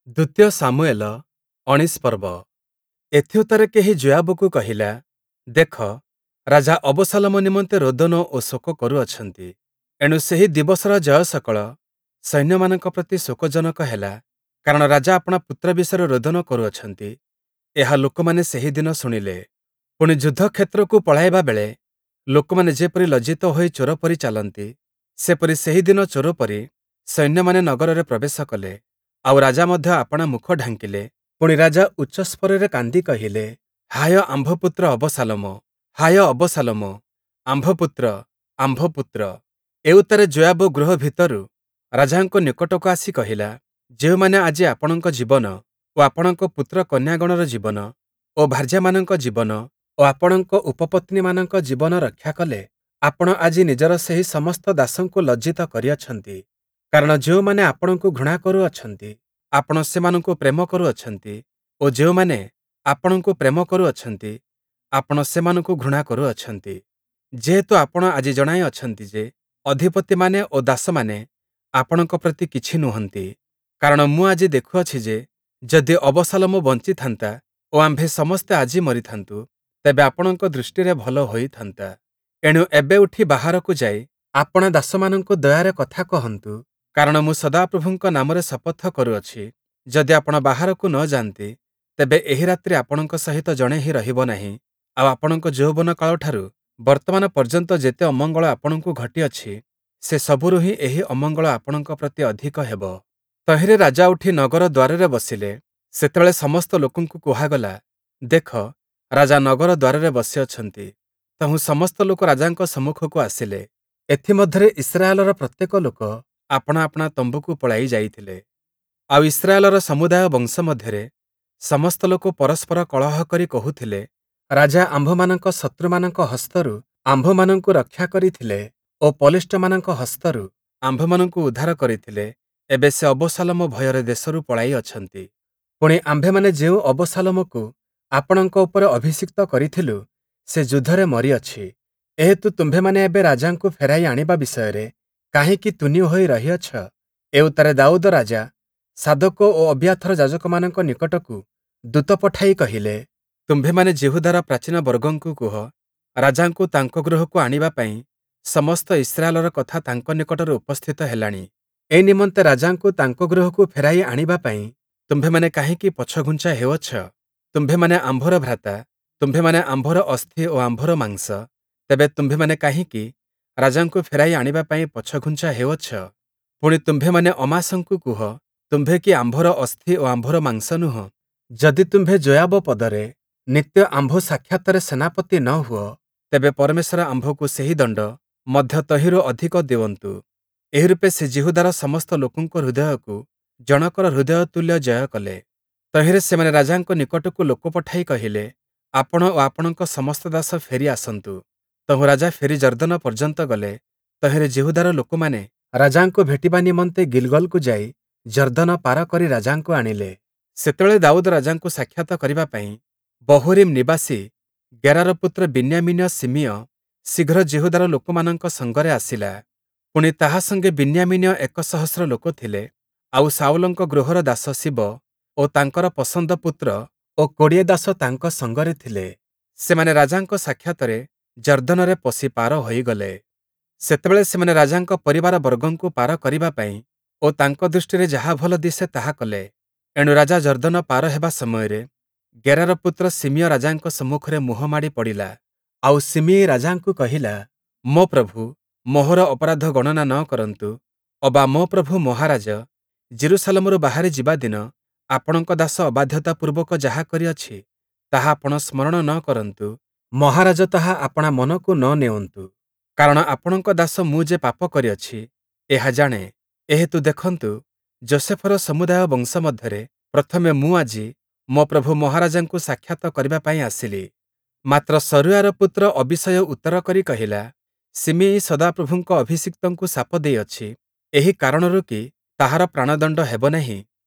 ଦ୍ୱିତୀୟ ଶାମୁୟେଲ ଉଣେଇଶ ପର୍ବ। ଏଥିଉତ୍ତାରେ କେହି ଯୋୟାବକୁ କହିଲା, ଦେଖ, ରାଜା ଅବଶାଲୋମ ନିମନ୍ତେ ରୋଦନ ଓ ଶୋକ କରୁଅଛନ୍ତି। ଏଣୁ ସେହି ଦିବସର ଜୟ ସକଳ ସୈନ୍ୟମାନଙ୍କ ପ୍ରତି ଶୋକଜନକ ହେଲା, କାରଣ ରାଜା ଆପଣା ପୁତ୍ର ବିଷୟରେ ରୋଦନ କରୁଅଛନ୍ତି, ଏହା ଲୋକମାନେ ସେହି ଦିନ ଶୁଣିଲେ। ପୁଣି ଯୁଦ୍ଧକ୍ଷେତ୍ରକୁ ପଳାଇବା ବେଳେ ଲୋକମାନେ ଯେପରି ଲଜ୍ଜିତ ହୋଇ ଚୋର ପରି ଚାଲନ୍ତି, ସେପରି ସେହି ଦିନ ଚୋର ପରି ସୈନ୍ୟମାନେ ନଗରରେ ପ୍ରବେଶ କଲେ। ଆଉ ରାଜା ମଧ୍ୟ ଆପଣା ମୁଖ ଢାଙ୍କିଲେ। ପୁଣି ରାଜା ଉଚ୍ଚସ୍ୱରରେ କାନ୍ଦି କହିଲେ, ହାୟ ଆମ୍ଭ ପୁତ୍ର ଅବଶାଲୋମ! ହାୟ ଅବଶାଲୋମ! ଆମ୍ଭ ପୁତ୍ର, ଆମ୍ଭ ପୁତ୍ର! ଏଉତ୍ତାରେ ଯୋୟାବ ଗୃହ ଭିତରୁ ରାଜାଙ୍କ ନିକଟକୁ ଆସି କହିଲା, ଯେଉଁମାନେ ଆଜି ଆପଣଙ୍କ ଜୀବନ ଓ ଆପଣଙ୍କ ପୁତ୍ର କନ୍ୟାଗଣର ଜୀବନ ଓ ଭାର୍ଯ୍ୟାମାନଙ୍କ ଜୀବନ ଓ ଆପଣଙ୍କ ଉପପତ୍ନୀମାନଙ୍କ ଜୀବନ ରକ୍ଷା କଲେ, ଆପଣ ଆଜି ନିଜର ସେହି ସମସ୍ତ ଦାସଙ୍କୁ ଲଜ୍ଜିତ କରିଅଛନ୍ତି। କାରଣ ଯେଉଁମାନେ ଆପଣଙ୍କୁ ଘୃଣା କରୁଅଛନ୍ତି, ଆପଣ ସେମାନଙ୍କୁ ପ୍ରେମ କରୁଅଛନ୍ତି ଓ ଯେଉଁମାନେ ଆପଣଙ୍କୁ ପ୍ରେମ କରୁଅଛନ୍ତି, ଆପଣ ସେମାନଙ୍କୁ ଘୃଣା କରୁଅଛନ୍ତି। ଯେହେତୁ ଆପଣ ଆଜି ଜଣାଇ ଅଛନ୍ତି ଯେ, ଅଧିପତିମାନେ ଓ ଦାସମାନେ ଆପଣଙ୍କ ପ୍ରତି କିଛି ନୁହନ୍ତି। କାରଣ ମୁଁ ଆଜି ଦେଖୁଅଛି ଯେ, ଯଦି ଅବଶାଲୋମ ବଞ୍ଚିଥାନ୍ତା ଓ ଆମ୍ଭେ ସମସ୍ତେ ଆଜି ମରିଥାନ୍ତୁ, ତେବେ ଆପଣଙ୍କ ଦୃଷ୍ଟିରେ ଭଲ ହୋଇଥାନ୍ତା। ଏଣୁ ଏବେ ଉଠି ବାହାରକୁ ଯାଇ ଆପଣା ଦାସମାନଙ୍କୁ ଦୟାରେ କଥା କହନ୍ତୁ। କାରଣ ମୁଁ ସଦାପ୍ରଭୁଙ୍କ ନାମରେ ଶପଥ କରୁଅଛି, ଯଦି ଆପଣ ବାହାରକୁ ନ ଯାଆନ୍ତି, ତେବେ ଏହି ରାତ୍ରି ଆପଣଙ୍କ ସହିତ ଜଣେ ହିଁ ରହିବ ନାହିଁ। ଆଉ ଆପଣଙ୍କ ଯୌବନ କାଳଠାରୁ ବର୍ତ୍ତମାନ ପର୍ଯ୍ୟନ୍ତ ଯେତେ ଅମଙ୍ଗଳ ଆପଣଙ୍କୁ ଘଟିଅଛି, ସେ ସବୁରୁ ହିଁ ଏହି ଅମଙ୍ଗଳ ଆପଣଙ୍କ ପ୍ରତି ଅଧିକ ହେବ। ତହିଁରେ ରାଜା ଉଠି ନଗର ଦ୍ୱାରରେ ବସିଲେ। ସେତେବେଳେ ସମସ୍ତ ଲୋକଙ୍କୁ କୁହାଗଲା, ଦେଖ, ରାଜା ନଗର ଦ୍ୱାରରେ ବସିଅଛନ୍ତି। ତହୁଁ ସମସ୍ତ ଲୋକ ରାଜାଙ୍କ ସମ୍ମୁଖକୁ ଆସିଲେ। ଏଥିମଧ୍ୟରେ ଇସ୍ରାଏଲର ପ୍ରତ୍ୟେକ ଲୋକ ଆପଣା ଆପଣା ତମ୍ବୁକୁ ପଳାଇ ଯାଇଥିଲେ। ଆଉ ଇସ୍ରାଏଲର ସମୁଦାୟ ବଂଶ ମଧ୍ୟରେ ସମସ୍ତ ଲୋକ ପରସ୍ପର କଳହ କରି କହୁଥିଲେ, ରାଜା ଆମ୍ଭମାନଙ୍କ ଶତ୍ରୁମାନଙ୍କ ହସ୍ତରୁ ଆମ୍ଭମାନଙ୍କୁ ରକ୍ଷା କରିଥିଲେ ଓ ପଲେଷ୍ଟୀୟମାନଙ୍କ ହସ୍ତରୁ ଆମ୍ଭମାନଙ୍କୁ ଉଦ୍ଧାର କରିଥିଲେ। ଏବେ ସେ ଅବଶାଲୋମ ଭୟରେ ଦେଶରୁ ପଳାଇ ଅଛନ୍ତି। ପୁଣି ଆମ୍ଭେମାନେ ଯେଉଁ ଅବଶାଲୋମକୁ ଆପଣଙ୍କ ଉପରେ ଅଭିଷିକ୍ତ କରିଥିଲୁ, ସେ ଯୁଦ୍ଧରେ ମରିଅଛି। ଏହେତୁ ତୁମ୍ଭେମାନେ ଏବେ ରାଜାଙ୍କୁ ଫେରାଇ ଆଣିବା ବିଷୟରେ କାହିଁକି ତୁନି ହୋଇ ରହିଅଛ? ଏଉତ୍ତାରେ ଦାଉଦ ରାଜା ସାଦୋକ ଓ ଅବିୟାଥର ଯାଜକମାନଙ୍କ ନିକଟକୁ ଦୂତ ପଠାଇ କହିଲେ, ତୁମ୍ଭେମାନେ ଯିହୁଦାର ପ୍ରାଚୀନବର୍ଗଙ୍କୁ କୁହ, ରାଜାଙ୍କୁ ତାଙ୍କ ଗୃହକୁ ଆଣିବା ପାଇଁ ସମସ୍ତ ଇସ୍ରାଏଲର କଥା ତାଙ୍କ ନିକଟରେ ଉପସ୍ଥିତ ହେଲାଣି। ଏ ନିମନ୍ତେ ରାଜାଙ୍କୁ ତାଙ୍କ ଗୃହକୁ ଫେରାଇ ଆଣିବା ପାଇଁ ତୁମ୍ଭେମାନେ କାହିଁକି ପଛଘୁଞ୍ଚା ହେଉଅଛ? ତୁମ୍ଭେମାନେ ଆମ୍ଭର ଭ୍ରାତା, ତୁମ୍ଭେମାନେ ଆମ୍ଭର ଅସ୍ଥି ଓ ଆମ୍ଭର ମାଂସ। ତେବେ ତୁମ୍ଭେମାନେ କାହିଁକି ରାଜାଙ୍କୁ ଫେରାଇ ଆଣିବା ପାଇଁ ପଛଘୁଞ୍ଚା ହେଉଅଛ? ପୁଣି ତୁମ୍ଭେମାନେ ଅମାସଙ୍କୁ କୁହ, ତୁମ୍ଭେ କି ଆମ୍ଭର ଅସ୍ଥି ଓ ଆମ୍ଭର ମାଂସ ନୁହଁ? ଯଦି ତୁମ୍ଭେ ଯୋୟାବ ପଦରେ ନିତ୍ୟ ଆମ୍ଭ ସାକ୍ଷାତରେ ସେନାପତି ନ ହୁଅ, ତେବେ ପରମେଶ୍ୱର ଆମ୍ଭକୁ ସେହି ଦଣ୍ଡ ମଧ୍ୟ ତହିଁରୁ ଅଧିକ ଦେଉଅନ୍ତୁ। ଏହି ରୂପେ ସେ ଯିହୁଦାର ସମସ୍ତ ଲୋକଙ୍କ ହୃଦୟକୁ ଜଣକର ହୃଦୟ ତୁଲ୍ୟ ଜୟ କଲେ। ତହିଁରେ ସେମାନେ ରାଜାଙ୍କ ନିକଟକୁ ଲୋକ ପଠାଇ କହିଲେ, ଆପଣ ଓ ଆପଣଙ୍କ ସମସ୍ତ ଦାସ ଫେରି ଆସନ୍ତୁ। ତହୁଁ ରାଜା ଫେରି ଯର୍ଦ୍ଦନ ପର୍ଯ୍ୟନ୍ତ ଗଲେ। ତହିଁରେ ଯିହୁଦାର ଲୋକମାନେ ରାଜାଙ୍କୁ ଭେଟିବା ନିମନ୍ତେ ଗିଲଗଲକୁ ଯାଇ ଯର୍ଦ୍ଦନ ପାର କରି ରାଜାଙ୍କୁ ଆଣିଲେ। ସେତେବେଳେ ଦାଉଦ ରାଜାଙ୍କୁ ସାକ୍ଷାତ କରିବା ପାଇଁ ବହୂରୀମ୍ ନିବାସୀ ଗେରାର ପୁତ୍ର ବିନ୍ୟାମୀନୀୟ ଶିମୀୟ ଶୀଘ୍ର ଯିହୁଦାର ଲୋକମାନଙ୍କ ସଙ୍ଗରେ ଆସିଲା। ପୁଣି ତାହା ସଙ୍ଗେ ବିନ୍ୟାମୀନୀୟ 1000 ଲୋକ ଥିଲେ। ଆଉ ଶାଉଲଙ୍କ ଗୃହର ଦାସ ଶିବ ଓ ତାଙ୍କର ପସନ୍ଦ ପୁତ୍ର ଓ 20 ଦାସ ତାଙ୍କ ସଙ୍ଗରେ ଥିଲେ। ସେମାନେ ରାଜାଙ୍କ ସାକ୍ଷାତରେ ଯର୍ଦ୍ଦନରେ ପଶି ପାର ହୋଇଗଲେ। ସେତେବେଳେ ସେମାନେ ରାଜାଙ୍କ ପରିବାରବର୍ଗଙ୍କୁ ପାର କରିବା ପାଇଁ ଓ ତାଙ୍କ ଦୃଷ୍ଟିରେ ଯାହା ଭଲ ଦିଶେ ତାହା କଲେ। ଏଣୁ ରାଜା ଯର୍ଦ୍ଦନ ପାର ହେବା ସମୟରେ ଗେରାର ପୁତ୍ର ଶିମୀୟ ରାଜାଙ୍କ ସମ୍ମୁଖରେ ମୁହଁ ମାଡ଼ି ପଡ଼ିଲା। ଆଉ ଶିମୀୟି ରାଜାଙ୍କୁ କହିଲା, ମୋ ପ୍ରଭୁ ମୋହର ଅପରାଧ ଗଣନା ନ କରନ୍ତୁ, ଅବା ମୋ ପ୍ରଭୁ ମହାରାଜ ଯିରୂଶାଲମରୁ ବାହାରି ଯିବା ଦିନ ଆପଣଙ୍କ ଦାସ ଅବାଧ୍ୟତା ପୂର୍ବକ ଯାହା କରିଅଛି, ତାହା ଆପଣ ସ୍ମରଣ ନ କରନ୍ତୁ, ମହାରାଜ ତାହା ଆପଣା ମନକୁ ନ ନେଉନ୍ତୁ। କାରଣ ଆପଣଙ୍କ ଦାସ ମୁଁ ଯେ ପାପ କରିଅଛି, ଏହା ଜାଣେ। ଏହେତୁ ଦେଖନ୍ତୁ, ଯୋଷେଫର ସମୁଦାୟ ବଂଶ ମଧ୍ୟରେ ପ୍ରଥମେ ମୁଁ ଆଜି ମୋ ପ୍ରଭୁ ମହାରାଜାଙ୍କୁ ସାକ୍ଷାତ କରିବା ପାଇଁ ଆସିଲି। ମାତ୍ର ସରୂୟାର ପୁତ୍ର ଅବୀଶୟ ଉତ୍ତର କରି କହିଲା, ଶିମୀୟି ସଦାପ୍ରଭୁଙ୍କ ଅଭିଷିକ୍ତଙ୍କୁ ଶାପ ଦେଇଅଛି, ଏହି କାରଣରୁ କି ତାହାର ପ୍ରାଣଦଣ୍ଡ ହେବ ନାହିଁ?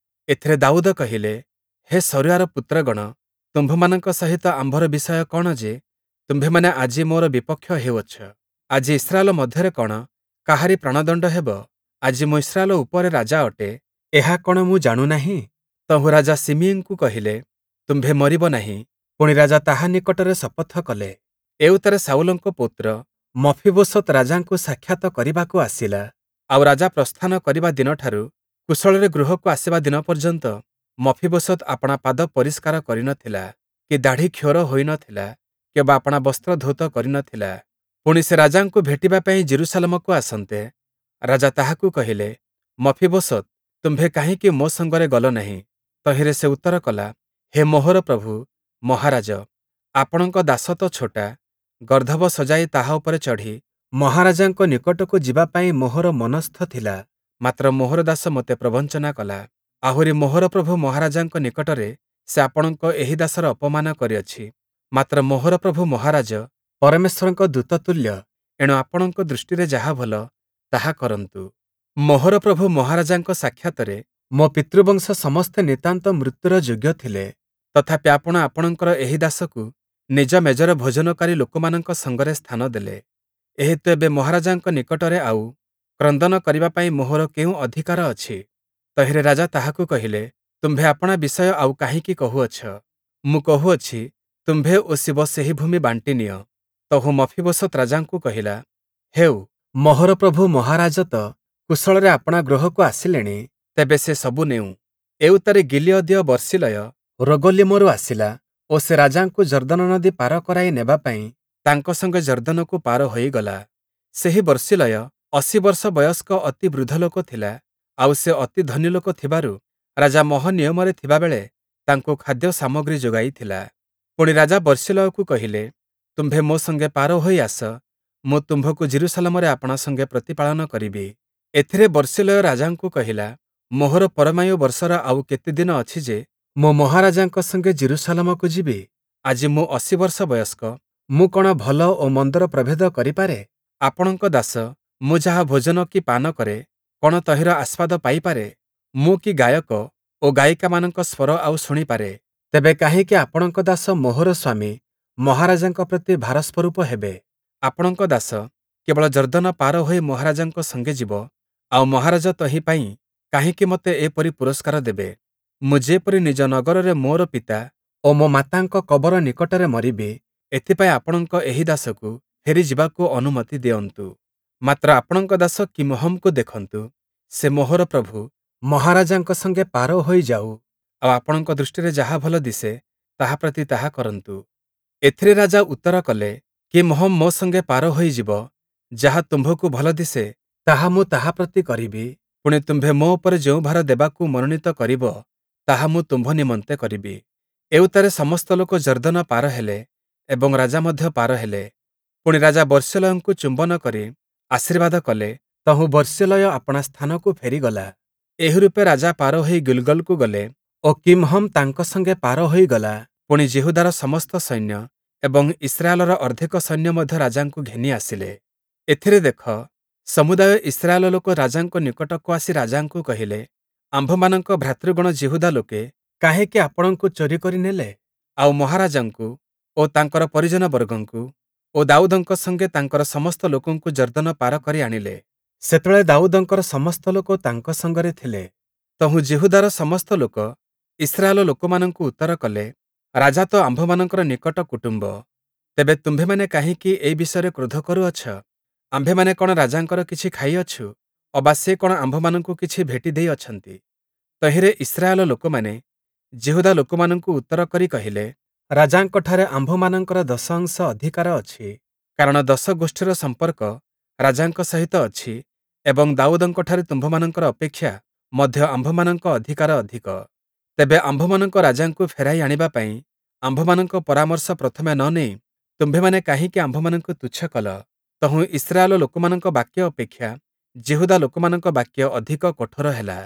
ଏଥିରେ ଦାଉଦ କହିଲେ, ହେ ସରୂୟାର ପୁତ୍ରଗଣ, ତୁମ୍ଭମାନଙ୍କ ସହିତ ଆମ୍ଭର ବିଷୟ କଣ ଯେ ତୁମ୍ଭେମାନେ ଆଜି ମୋର ବିପକ୍ଷ ହେଉଅଛ? ଆଜି ଇସ୍ରାଏଲ ମଧ୍ୟରେ କଣ କାହାରି ପ୍ରାଣଦଣ୍ଡ ହେବ? ଆଜି ମୁଁ ଇସ୍ରାଏଲ ଉପରେ ରାଜା ଅଟେ, ଏହା କଣ ମୁଁ ଜାଣୁ ନାହିଁ? ତହୁଁ ରାଜା ଶିମିୟିଙ୍କୁ କହିଲେ, ତୁମ୍ଭେ ମରିବ ନାହିଁ। ପୁଣି, ରାଜା ତାହା ନିକଟରେ ଶପଥ କଲେ। ଏଉତ୍ତାରେ ଶାଉଲଙ୍କ ପୌତ୍ର ମଫୀବୋଶତ୍ ରାଜାଙ୍କୁ ସାକ୍ଷାତ କରିବାକୁ ଆସିଲା। ଆଉ ରାଜା ପ୍ରସ୍ଥାନ କରିବା ଦିନଠାରୁ କୁଶଳରେ ଗୃହକୁ ଆସିବା ଦିନ ପର୍ଯ୍ୟନ୍ତ ମଫୀବୋଶତ୍ ଆପଣା ପାଦ ପରିଷ୍କାର କରି ନ ଥିଲା, କି ଦାଢ଼ି କ୍ଷୌର ହୋଇ ନ ଥିଲା, କିଅବା ଆପଣା ବସ୍ତ୍ର ଧୌତ କରି ନ ଥିଲା। ପୁଣି ସେ ରାଜାଙ୍କୁ ଭେଟିବା ପାଇଁ ଯିରୂଶାଲମକୁ ଆସନ୍ତେ, ରାଜା ତାହାକୁ କହିଲେ, ମଫୀବୋଶତ୍, ତୁମ୍ଭେ କାହିଁକି ମୋ ସଙ୍ଗରେ ଗଲ ନାହିଁ? ତହିଁରେ ସେ ଉତ୍ତର କଲା, ହେ ମୋହର ପ୍ରଭୁ ମହାରାଜ, ଆପଣଙ୍କ ଦାସ ତ ଛୋଟା, ଗର୍ଦ୍ଦଭ ସଜାଇ ତାହା ଉପରେ ଚଢ଼ି ମହାରାଜାଙ୍କ ନିକଟକୁ ଯିବା ପାଇଁ ମୋହର ମନସ୍ଥ ଥିଲା, ମାତ୍ର ମୋହର ଦାସ ମୋତେ ପ୍ରବଞ୍ଚନା କଲା। ଆହୁରି ମୋହର ପ୍ରଭୁ ମହାରାଜାଙ୍କ ନିକଟରେ ସେ ଆପଣଙ୍କ ଏହି ଦାସର ଅପମାନ କରିଅଛି। ମାତ୍ର ମୋହର ପ୍ରଭୁ ମହାରାଜ ପରମେଶ୍ୱରଙ୍କ ଦୂତ ତୁଲ୍ୟ, ଏଣୁ ଆପଣଙ୍କ ଦୃଷ୍ଟିରେ ଯାହା ଭଲ, ତାହା କରନ୍ତୁ। ମୋହର ପ୍ରଭୁ ମହାରାଜାଙ୍କ ସାକ୍ଷାତରେ ମୋ ପିତୃବଂଶ ସମସ୍ତେ ନିତାନ୍ତ ମୃତ୍ୟୁର ଯୋଗ୍ୟ ଥିଲେ, ତଥାପି ଆପଣ ଆପଣଙ୍କର ଏହି ଦାସକୁ ନିଜ ମେଜରେ ଭୋଜନକାରୀ ଲୋକମାନଙ୍କ ସଙ୍ଗରେ ସ୍ଥାନ ଦେଲେ। ଏହେତୁ ଏବେ ମହାରାଜାଙ୍କ ନିକଟରେ ଆଉ କ୍ରନ୍ଦନ କରିବା ପାଇଁ ମୋହର କେଉଁ ଅଧିକାର ଅଛି? ତହିଁରେ ରାଜା ତାହାକୁ କହିଲେ, ତୁମ୍ଭେ ଆପଣା ବିଷୟ ଆଉ କାହିଁକି କହୁଅଛ? ମୁଁ କହୁଅଛି, ତୁମ୍ଭେ ଓ ସୀବ ସେହି ଭୂମି ବାଣ୍ଟି ନିଅ। ତହୁଁ ମଫୀବୋଶତ୍ ରାଜାଙ୍କୁ କହିଲା, ହେଉ, ମୋହର ପ୍ରଭୁ ମହାରାଜ ତ କୁଶଳରେ ଆପଣା ଗୃହକୁ ଆସିଲେଣି, ତେବେ ସେ ସବୁ ନେଉ। ଏଉତ୍ତାରେ ଗିଲିୟଦୀୟ ବର୍ସିଲୟ ରୋଗଲୀମରୁ ଆସିଲା ଓ ସେ ରାଜାଙ୍କୁ ଯର୍ଦ୍ଦନ ନଦୀ ପାର କରାଇ ନେବା ପାଇଁ ତାଙ୍କ ସଙ୍ଗେ ଯର୍ଦ୍ଦନକୁ ପାର ହୋଇଗଲା। ସେହି ବର୍ସିଲୟ ୮୦ ବର୍ଷ ବୟସ୍କ ଅତି ବୃଦ୍ଧ ଲୋକ ଥିଲା, ଆଉ ସେ ଅତି ଧନୀ ଲୋକ ଥିବାରୁ ରାଜା ମହନୀୟମରେ ଥିବାବେଳେ ତାଙ୍କୁ ଖାଦ୍ୟ ସାମଗ୍ରୀ ଯୋଗାଇଥିଲା। ପୁଣି ରାଜା ବର୍ସିଲୟକୁ କହିଲେ, ତୁମ୍ଭେ ମୋ ସଙ୍ଗେ ପାର ହୋଇ ଆସ, ମୁଁ ତୁମ୍ଭକୁ ଯିରୂଶାଲମରେ ଆପଣା ସଙ୍ଗେ ପ୍ରତିପାଳନ କରିବି। ଏଥିରେ ବର୍ସିଲୟ ରାଜାଙ୍କୁ କହିଲା, ମୋହର ପରମାୟୁ ବର୍ଷର ଆଉ କେତେ ଦିନ ଅଛି ଯେ, ମୁଁ ମହାରାଜାଙ୍କ ସଙ୍ଗେ ଯିରୂଶାଲମକୁ ଯିବି? ଆଜି ମୁଁ ୮୦ ବର୍ଷ ବୟସ୍କ, ମୁଁ କଣ ଭଲ ଓ ମନ୍ଦର ପ୍ରଭେଦ କରିପାରେ? ଆପଣଙ୍କ ଦାସ, ମୁଁ ଯାହା ଭୋଜନ କି ପାନ କରେ, କଣ ତହିଁର ଆସ୍ୱାଦ ପାଇପାରେ? ମୁଁ କି ଗାୟକ ଓ ଗାୟିକାମାନଙ୍କ ସ୍ୱର ଆଉ ଶୁଣିପାରେ? ତେବେ କାହିଁକି ଆପଣଙ୍କ ଦାସ ମୋହର ସ୍ୱାମୀ ମହାରାଜାଙ୍କ ପ୍ରତି ଭାରସ୍ୱରୂପ ହେବେ? ଆପଣଙ୍କ ଦାସ କେବଳ ଯର୍ଦ୍ଦନ ପାର ହୋଇ ମହାରାଜାଙ୍କ ସଙ୍ଗେ ଯିବ, ଆଉ ମହାରାଜ ତହିଁ ପାଇଁ କାହିଁକି ମୋତେ ଏପରି ପୁରସ୍କାର ଦେବେ? ମୁଁ ଯେପରି ନିଜ ନଗରରେ ମୋର ପିତା ଓ ମୋ ମାତାଙ୍କ କବର ନିକଟରେ ମରିବି, ଏଥିପାଇଁ ଆପଣଙ୍କ ଏହି ଦାସକୁ ଫେରିଯିବାକୁ ଅନୁମତି ଦିଅନ୍ତୁ। ମାତ୍ର ଆପଣଙ୍କ ଦାସ କିମ୍ହମ୍‌କୁ ଦେଖନ୍ତୁ, ସେ ମୋହର ପ୍ରଭୁ ମହାରାଜାଙ୍କ ସଙ୍ଗେ ପାର ହୋଇଯାଉ, ଆଉ ଆପଣଙ୍କ ଦୃଷ୍ଟିରେ ଯାହା ଭଲ ଦିଶେ, ତାହା ପ୍ରତି ତାହା କରନ୍ତୁ। ଏଥିରେ ରାଜା ଉତ୍ତର କଲେ, କିମ୍ହମ୍ ମୋ ସଙ୍ଗେ ପାର ହୋଇଯିବ, ଯାହା ତୁମ୍ଭକୁ ଭଲ ଦିଶେ, ତାହା ମୁଁ ତାହା ପ୍ରତି କରିବି। ପୁଣି ତୁମ୍ଭେ ମୋ ଉପରେ ଯେଉଁ ଭାର ଦେବାକୁ ମନୋନୀତ କରିବ, ତାହା ମୁଁ ତୁମ୍ଭ ନିମନ୍ତେ କରିବି। ଏଉତ୍ତାରେ ସମସ୍ତ ଲୋକ ଯର୍ଦ୍ଦନ ପାର ହେଲେ ଏବଂ ରାଜା ମଧ୍ୟ ପାର ହେଲେ। ପୁଣି ରାଜା ବର୍ସିଲୟଙ୍କୁ ଚୁମ୍ବନ କରି ଆଶୀର୍ବାଦ କଲେ, ତହୁଁ ବର୍ସିଲୟ ଆପଣା ସ୍ଥାନକୁ ଫେରିଗଲା। ଏହିରୂପେ ରାଜା ପାର ହୋଇ ଗିଲ୍‌ଗଲକୁ ଗଲେ ଓ କିମ୍‌ହମ୍ ତାଙ୍କ ସଙ୍ଗେ ପାର ହୋଇଗଲା। ପୁଣି ଯିହୁଦାର ସମସ୍ତ ସୈନ୍ୟ ଏବଂ ଇସ୍ରାଏଲର ଅର୍ଦ୍ଧେକ ସୈନ୍ୟ ମଧ୍ୟ ରାଜାଙ୍କୁ ଘେନି ଆସିଲେ। ଏଥିରେ ଦେଖ, ସମୁଦାୟ ଇସ୍ରାଏଲ ଲୋକ ରାଜାଙ୍କ ନିକଟକୁ ଆସି ରାଜାଙ୍କୁ କହିଲେ, ଆମ୍ଭମାନଙ୍କ ଭ୍ରାତୃଗଣ ଯିହୁଦା ଲୋକେ କାହିଁକି ଆପଣଙ୍କୁ ଚୋରି କରି ନେଲେ, ଆଉ ମହାରାଜାଙ୍କୁ ଓ ତାଙ୍କର ପରିଜନବର୍ଗଙ୍କୁ ଓ ଦାଉଦଙ୍କ ସଙ୍ଗେ ତାଙ୍କର ସମସ୍ତ ଲୋକଙ୍କୁ ଯର୍ଦ୍ଦନ ପାର କରି ଆଣିଲେ? ସେତେବେଳେ ଦାଉଦଙ୍କର ସମସ୍ତ ଲୋକ ତାଙ୍କ ସଙ୍ଗରେ ଥିଲେ। ତହୁଁ ଯିହୁଦାର ସମସ୍ତ ଲୋକ ଇସ୍ରାଏଲ ଲୋକମାନଙ୍କୁ ଉତ୍ତର କଲେ, ରାଜା ତ ଆମ୍ଭମାନଙ୍କର ନିକଟ କୁଟୁମ୍ବ, ତେବେ ତୁମ୍ଭେମାନେ କାହିଁକି ଏ ବିଷୟରେ କ୍ରୋଧ କରୁଅଛ? ଆମ୍ଭେମାନେ କଣ ରାଜାଙ୍କର କିଛି ଖାଇଅଛୁ, ଅବା ସେ କଣ ଆମ୍ଭମାନଙ୍କୁ କିଛି ଭେଟି ଦେଇଅଛନ୍ତି? ତହିଁରେ ଇସ୍ରାଏଲ ଲୋକମାନେ ଯିହୁଦା ଲୋକମାନଙ୍କୁ ଉତ୍ତର କରି କହିଲେ, ରାଜାଙ୍କଠାରେ ଆମ୍ଭମାନଙ୍କର ଦଶ ଅଂଶ ଅଧିକାର ଅଛି, କାରଣ ଦଶ ଗୋଷ୍ଠୀର ସମ୍ପର୍କ ରାଜାଙ୍କ ସହିତ ଅଛି ଏବଂ ଦାଉଦଙ୍କଠାରେ ତୁମ୍ଭମାନଙ୍କର ଅପେକ୍ଷା ମଧ୍ୟ ଆମ୍ଭମାନଙ୍କ ଅଧିକାର ଅଧିକ। ତେବେ ଆମ୍ଭମାନଙ୍କ ରାଜାଙ୍କୁ ଫେରାଇ ଆଣିବା ପାଇଁ ଆମ୍ଭମାନଙ୍କ ପରାମର୍ଶ ପ୍ରଥମେ ନ ନେଇ ତୁମ୍ଭେମାନେ କାହିଁକି ଆମ୍ଭମାନଙ୍କୁ ତୁଚ୍ଛ କଲ? ତହୁଁ ଇସ୍ରାଏଲ ଲୋକମାନଙ୍କ ବାକ୍ୟ ଅପେକ୍ଷା ଯିହୁଦା ଲୋକମାନଙ୍କ ବାକ୍ୟ ଅଧିକ କଠୋର ହେଲା।